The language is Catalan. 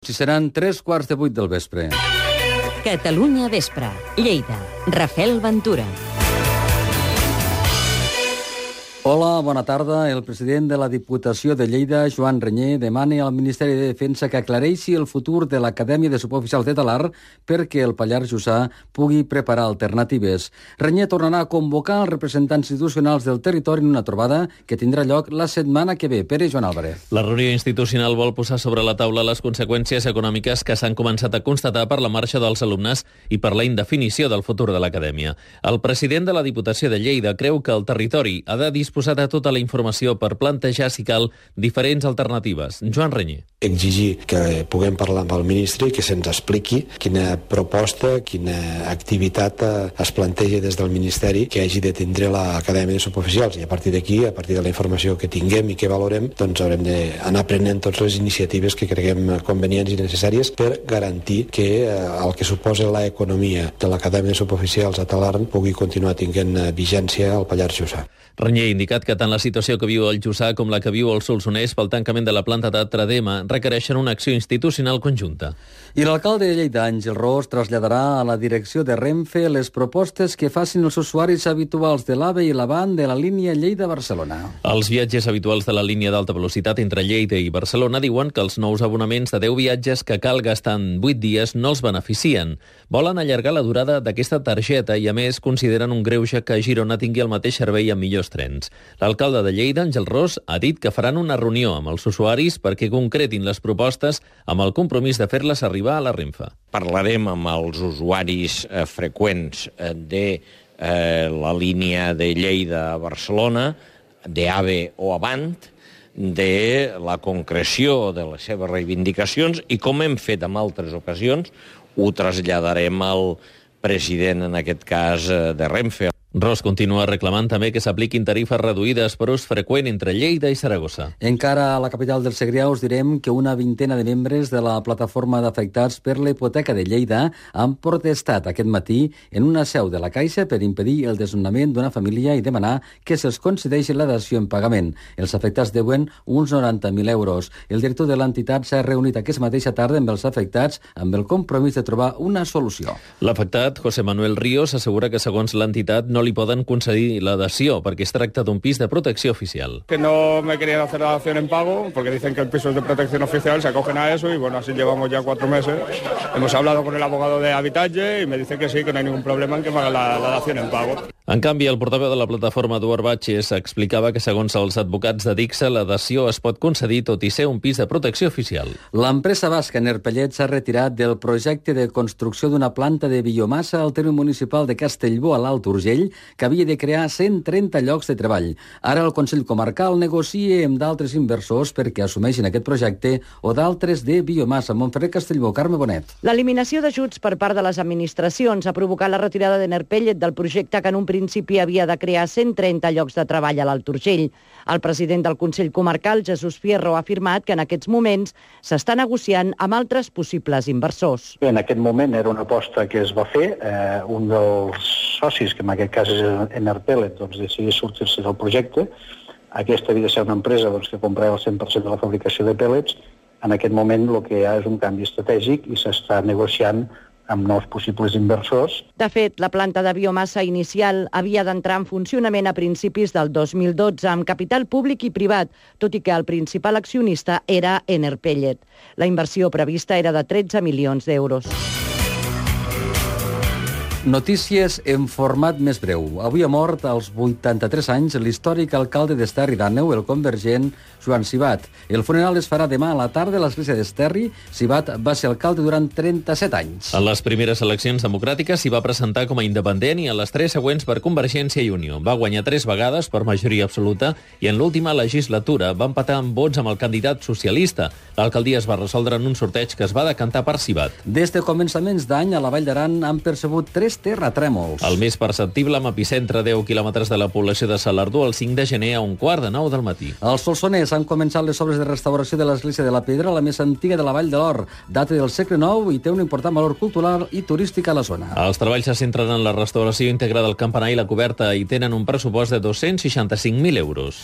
Si seran 3:15 del vespre. Catalunya Vespre, Lleida. Rafael Ventura. Hola, bona tarda. El president de la Diputació de Lleida, Joan Reñé, demana al Ministeri de Defensa que aclareixi el futur de l'Acadèmia de Suboficials de Talar perquè el Pallars Jussà pugui preparar alternatives. Reñé tornarà a convocar els representants institucionals del territori en una trobada que tindrà lloc la setmana que ve. Pere Joan Álvarez. La reunió institucional vol posar sobre la taula les conseqüències econòmiques que s'han començat a constatar per la marxa dels alumnes i per la indefinició del futur de l'Acadèmia. El president de la Diputació de Lleida creu que el territori ha de disposar de tota la informació per plantejar, si cal, diferents alternatives. Joan Reñé. Exigir que puguem parlar amb el ministre i que se'ns expliqui quina proposta, quina activitat es planteja des del Ministeri que hagi de tindre l'Acadèmia de Suboficials. I a partir d'aquí, a partir de la informació que tinguem i que valorem, doncs haurem d'anar prenent totes les iniciatives que creguem convenients i necessàries per garantir que el que suposa l'economia de l'Acadèmia de Suboficials a Talarn pugui continuar tinguent vigència al Pallars Jussà. Reñé ha indicat que tant la situació que viu el Jussà com la que viu el Solsonès pel tancament de la planta de Tradema requereixen una acció institucional conjunta. I l'alcalde de Lleida, Àngel Ros, traslladarà a la direcció de Renfe les propostes que facin els usuaris habituals de l'AVE i l'AVAN de la línia Lleida-Barcelona. Els viatges habituals de la línia d'alta velocitat entre Lleida i Barcelona diuen que els nous abonaments de 10 viatges que cal gastar en 8 dies no els beneficien. Volen allargar la durada d'aquesta targeta i, a més, consideren un greuge que Girona tingui el mateix servei amb millors trens. L'alcalde de Lleida, Àngel Ros, ha dit que faran una reunió amb els usuaris perquè concretin les propostes amb el compromís de fer-les arribar a la Renfe. Parlarem amb els usuaris freqüents de la línia de Lleida a Barcelona, d'AVE o Avant, de la concreció de les seves reivindicacions i, com hem fet en altres ocasions, ho traslladarem al president, en aquest cas, de Renfe. Ros continua reclamant també que s'apliquin tarifes reduïdes per ús freqüent entre Lleida i Saragossa. Encara a la capital del Segrià us direm que una vintena de membres de la plataforma d'afectats per la hipoteca de Lleida han protestat aquest matí en una seu de la Caixa per impedir el desnonament d'una família i demanar que se'ls concedeixi la dació en pagament. Els afectats deuen uns 90.000 euros. El director de l'entitat s'ha reunit aquesta mateixa tarda amb els afectats amb el compromís de trobar una solució. L'afectat, José Manuel Ríos, assegura que segons l'entitat no li poden concedir la dació perquè es tracta d'un pis de protecció oficial. Que no me querían hacer la dación en pago porque dicen que el piso es de protección oficial, se acogen a eso y bueno, así llevamos ya 4 meses. Hemos hablado con el abogado de Habitatge y me dice que sí, que no hay ningún problema en que me hagan la dación en pago. En canvi, el portaveu de la plataforma, Eduard Batges, explicava que segons els advocats de Dixa, la dació es pot concedir tot i ser un pis de protecció oficial. L'empresa basca Enerpellet s'ha retirat del projecte de construcció d'una planta de biomassa al terme municipal de Castellbó, a l'Alt Urgell, que havia de crear 130 llocs de treball. Ara el Consell Comarcal negocia amb d'altres inversors perquè assumeixin aquest projecte o d'altres de biomassa. Montferrer, Castellbó, Carme Bonet. L'eliminació d'ajuts per part de les administracions ha provocat la retirada d'Enerpellet del projecte que en un principi havia de crear 130 llocs de treball a l'Alt Urgell. El president del Consell Comarcal, Jesús Fierro, ha afirmat que en aquests moments s'està negociant amb altres possibles inversors. En aquest moment era una aposta que es va fer. Un dels socis, que en aquest cas és Enerpellet, doncs decidí sortir-se del projecte. Aquesta havia de ser una empresa que comprava el 100% de la fabricació de pèl·lets. En aquest moment el que hi ha és un canvi estratègic i s'està negociant amb nous possibles inversors. De fet, la planta de biomassa inicial havia d'entrar en funcionament a principis del 2012 amb capital públic i privat, tot i que el principal accionista era Enerpellet. La inversió prevista era de 13 milions d'euros. Notícies en format més breu. Avui ha mort als 83 anys l'històric alcalde d'Esterri d'Àneu, el convergent Joan Sibat. El funeral es farà demà a la tarda a l'església d'Esterri. Sibat va ser alcalde durant 37 anys. En les primeres eleccions democràtiques s'hi va presentar com a independent i en les 3 següents per Convergència i Unió. Va guanyar 3 vegades per majoria absoluta i en l'última legislatura va empatar amb vots amb el candidat socialista. L'alcaldia es va resoldre en un sorteig que es va decantar per Sibat. Des de començaments d'any a la Vall d'Aran han percebut 3 terratrèmols. El més perceptible amb epicentre 10 quilòmetres de la població de Salardú el 5 de gener a 8:45 del matí. Al Solsonès han començat les obres de restauració de l'església de la Pedra, la més antiga de la Vall de l'Or. Data del segle IX i té un important valor cultural i turístic a la zona. Els treballs se centren en la restauració íntegra del campanar i la coberta i tenen un pressupost de 265.000 euros.